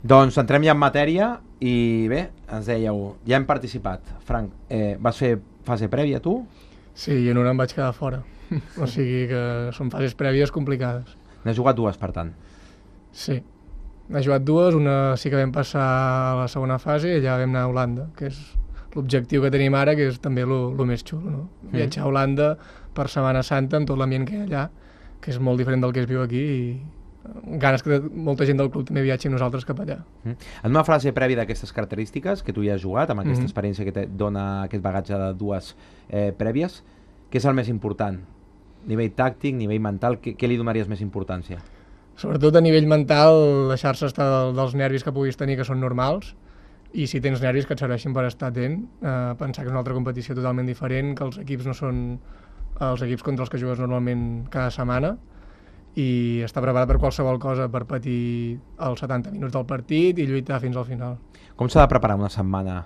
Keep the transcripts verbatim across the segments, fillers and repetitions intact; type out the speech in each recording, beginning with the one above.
Doncs entrem ja en matèria i bé, ens dèieu, ja hem participat. Frank, eh, vas fer fase prèvia tu? Sí, i en una em vaig quedar fora. O sigui que són fases prèvies complicades. N'has jugat dues, per tant. Sí. N'he jugat dues, una sí que vam passar a la segona fase i allà vam anar a Holanda, que és l'objectiu que tenim ara, que és també el més xulo, no? Mm. Viatjar a Holanda per Setmana Santa amb tot l'ambient que hi ha allà, que és molt diferent del que es viu aquí i ganes que molta gent del club també viatgi amb nosaltres cap allà. Mm. En una fase prèvia d'aquestes característiques, que tu ja has jugat, amb aquesta mm-hmm. experiència que et dona aquest bagatge de dues eh, prèvies, què és el més important? Nivell tàctic, nivell mental, què, què li donaries més importància? Sobretot a nivell mental, deixar-se estar del, dels nervis que puguis tenir, que són normals, i si tens nervis que et serveixin per estar atent, eh, pensar que és una altra competició totalment diferent, que els equips no són els equips contra els que jugues normalment cada setmana, i estar preparat per qualsevol cosa, per patir els setanta minuts del partit i lluitar fins al final. Com s'ha de preparar una setmana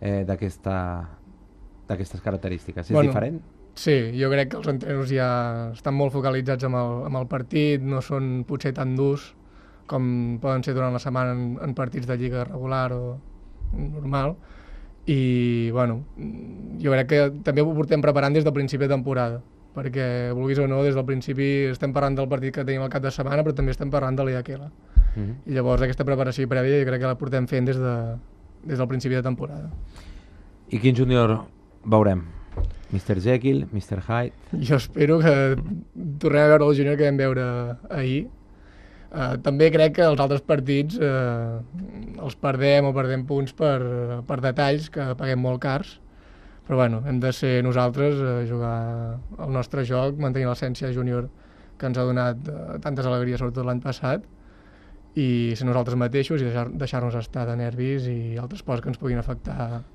eh, d'aquestes característiques? És bueno, diferent? Sí, jo crec que els entrenos ja estan molt focalitzats amb el, amb el partit, no són potser tan durs com poden ser durant la setmana en, en partits de lliga regular o normal, i bueno, jo crec que també ho portem preparant des del principi de temporada, perquè vulguis o no, des del principi estem parlant del partit que tenim al cap de setmana, però també estem parlant de l'Eakela. Mm-hmm. I llavors aquesta preparació prèvia jo crec que la portem fent des, de, des del principi de temporada. I quin júnior veurem? mister Jekyll, mister Hyde? Jo espero que tornem a veure el júnior que vam veure ahir. Uh, també crec que els altres partits uh, els perdem o perdem punts per, per detalls que paguem molt cars, però bueno, hem de ser nosaltres a jugar el nostre joc, mantenir l'essència júnior que ens ha donat uh, tantes alegries, sobretot l'any passat, i ser nosaltres mateixos i deixar, deixar-nos estar de nervis i altres coses que ens puguin afectar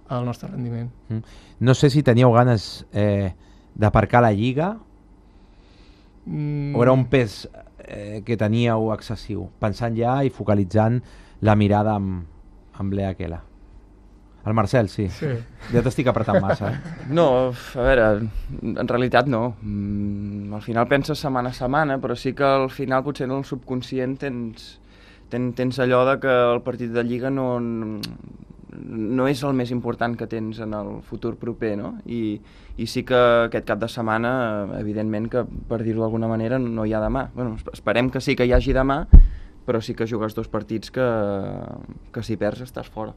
al nostre rendiment. Mm. No sé si teníeu ganes eh, d'aparcar la Lliga mm. o era un pes eh, que teníeu excessiu, pensant ja i focalitzant la mirada amb, amb l'Eakela. El Marcel, sí. sí. Ja t'estic apretant massa, eh? No, a veure, en realitat no. Mm, al final penses setmana a setmana, però sí que al final potser en el subconscient tens, ten, tens allò de que el partit de Lliga no, no és el més important que tens en el futur proper, no? I, i sí que aquest cap de setmana, evidentment que, per dir-ho d'alguna manera, no hi ha demà. Bueno, esperem que sí que hi hagi demà, però sí que jugues dos partits que, que si perds estàs fora.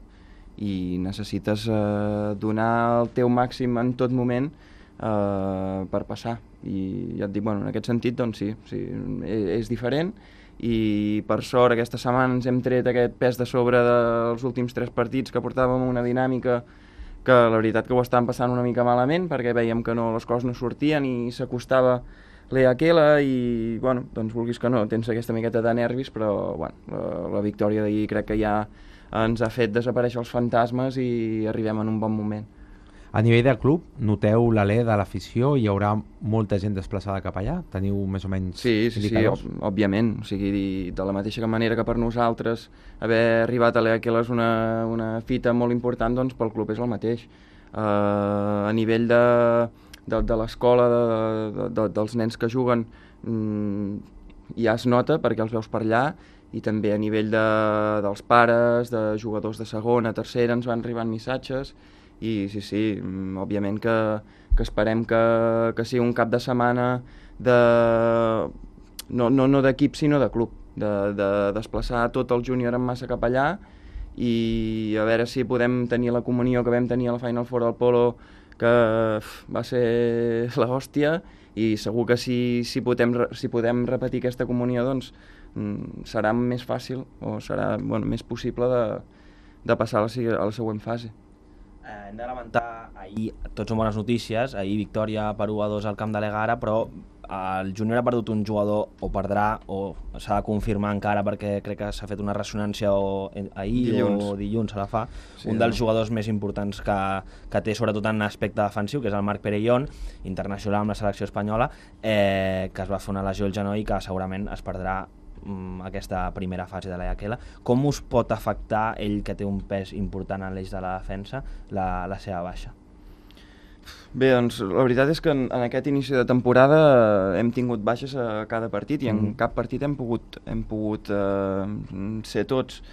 I necessites eh, donar el teu màxim en tot moment eh, per passar. I ja et dic, bueno, en aquest sentit, doncs sí, sí és diferent, i per sort aquesta setmana ens hem tret aquest pes de sobre dels últims tres partits que portàvem una dinàmica que la veritat que ho estàvem passant una mica malament perquè veiem que no, les coses no sortien i s'acostava l'Eakela i, bueno, doncs vulguis que no, tens aquesta miqueta de nervis, però bueno, la, la victòria d'ahir crec que ja ens ha fet desaparèixer els fantasmes i arribem en un bon moment. A nivell del club, noteu l'alè de l'afició? Hi haurà molta gent desplaçada cap allà? Teniu més o menys sí, sí, indicadors? Sí, òbviament. O sigui, de la mateixa manera que per nosaltres haver arribat a l'Eakela és una, una fita molt important, doncs pel club és el mateix. Uh, a nivell de, de, de l'escola, de, de, de, dels nens que juguen, mm, ja es nota perquè els veus per allà, i també a nivell de, dels pares, de jugadors de segona, tercera, ens van arribant missatges, i sí, sí, òbviament que, que esperem que, que sigui un cap de setmana de, no, no, no d'equip sinó de club, de, de desplaçar tot el júnior en massa cap allà i a veure si podem tenir la comunió que vam tenir a la Final Four del Polo, que uf, va ser l'hòstia, i segur que si, si, podem, si podem repetir aquesta comunió doncs mm, serà més fàcil o serà bueno, més possible de, de passar a la, a la següent fase. Eh, hem de lamentar, ahir tots són bones notícies, ahir victòria per u a dos al camp de l'Egara, però el júnior ha perdut un jugador, o perdrà, o s'ha de confirmar encara perquè crec que s'ha fet una ressonància o, ahir dilluns. o dilluns se la fa, sí, un dels no? jugadors més importants que, que té sobretot en aspecte defensiu, que és el Marc Perellón, internacional amb la selecció espanyola, eh, que es va fer una lesió al genoll i que segurament es perdrà aquesta primera fase de l'Eakela. Com us pot afectar ell, que té un pes important en l'eix de la defensa, la, la seva baixa? Bé, doncs la veritat és que en, en aquest inici de temporada hem tingut baixes a cada partit i en mm. cap partit hem pogut, hem pogut eh, ser tots.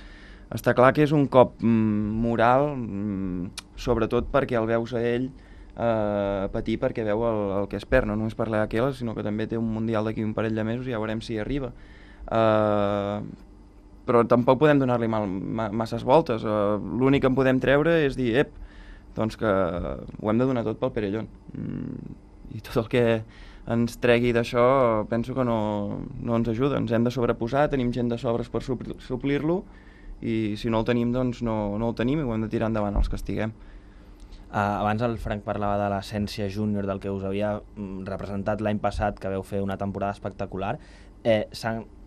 està clar que és un cop mm, moral, mm, sobretot perquè el veus a ell eh, patir perquè veu el, el que es perd, no només per l'Aqueles, sinó que també té un Mundial d'aquí un parell de mesos i ja veurem si hi arriba. Eh, però tampoc podem donar-li mal, ma, masses voltes. Eh, l'únic que en podem treure és dir, ep, doncs que ho hem de donar tot pel Perellón. Mm, I tot el que ens tregui d'això penso que no, no ens ajuda, ens hem de sobreposar, tenim gent de sobres per suplir-lo i si no el tenim doncs no, no el tenim i ho hem de tirar endavant els que estiguem. Uh, abans el Frank parlava de l'essència júnior del que us havia mm, representat l'any passat, que veu fer una temporada espectacular. Eh,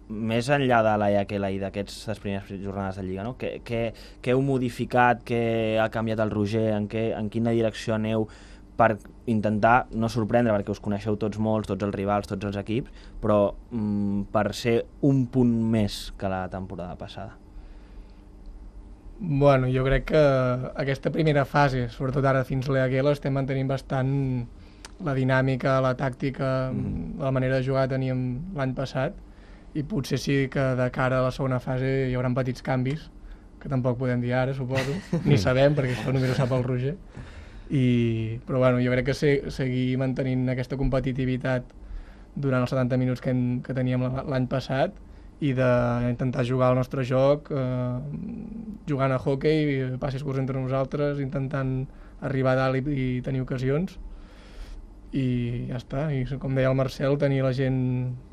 més enllà de la Iaquela i d'aquestes primeres jornades de Lliga, no? Què, què, què heu modificat, què ha canviat el Roger, en, què, en quina direcció aneu per intentar no sorprendre, perquè us coneixeu tots molts, tots els rivals, tots els equips, però mm, per ser un punt més que la temporada passada? Bueno, jo crec que aquesta primera fase, sobretot ara fins a l'Aquela, estem mantenint bastant la dinàmica, la tàctica, mm. la manera de jugar que teníem l'any passat, i potser sí que de cara a la segona fase hi haurà petits canvis, que tampoc podem dir ara, suposo, ni sabem, perquè això només ho sap el Roger. I, però bueno, jo crec que se, seguir mantenint aquesta competitivitat durant els setanta minuts que, en, que teníem l'any passat i d'intentar jugar al nostre joc, eh, jugant a hoquei, passis curts entre nosaltres, intentant arribar a dalt i, i tenir ocasions. I ja està, i com deia el Marcel, tenir la gent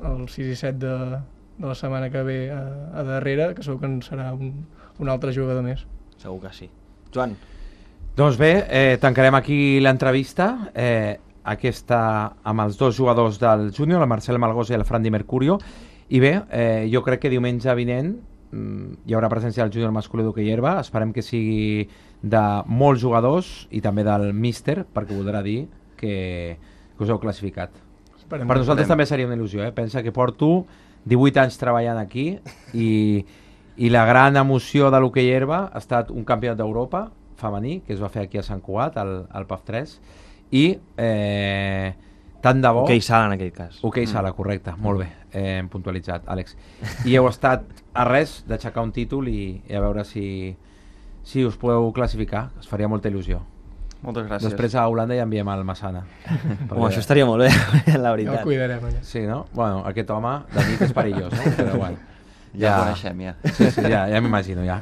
el sis i set de, de la setmana que ve a, a darrere, que segur que en serà un, un altre jugador més. Segur que sí. Joan? Doncs bé, eh, tancarem aquí l'entrevista, eh, aquesta amb els dos jugadors del júnior, el Marcel Malgosa i el Fran Di Mercurio, i bé, eh, jo crec que diumenge vinent mm, hi haurà presència del júnior masculí d'hoquei herba, esperem que sigui de molts jugadors i també del míster, perquè voldrà dir que, que us heu classificat. Esperem, per nosaltres esperem. També seria una il·lusió, eh? Pensa que porto divuit anys treballant aquí i, i la gran emoció de l'hoquei herba ha estat un campionat d'Europa femení, que es va fer aquí a Sant Cugat, al, al P A F tres, i eh, tant de bo... Hoquei sala en aquell cas. Hoquei mm. sala, correcte, molt bé, eh, hem puntualitzat, Àlex. I heu estat a res d'aixecar un títol i, i a veure si, si us podeu classificar, es faria molta il·lusió. Moltes gràcies. Després a Holanda ja enviem al Massana. Home, això estaria molt bé, la veritat. Ja ho cuidarem, allà. Sí, no? Bueno, aquest home de nit és perillós, no? Però bueno. Ja, ja el coneixem, ja. Sí, sí, ja, ja m'imagino, ja.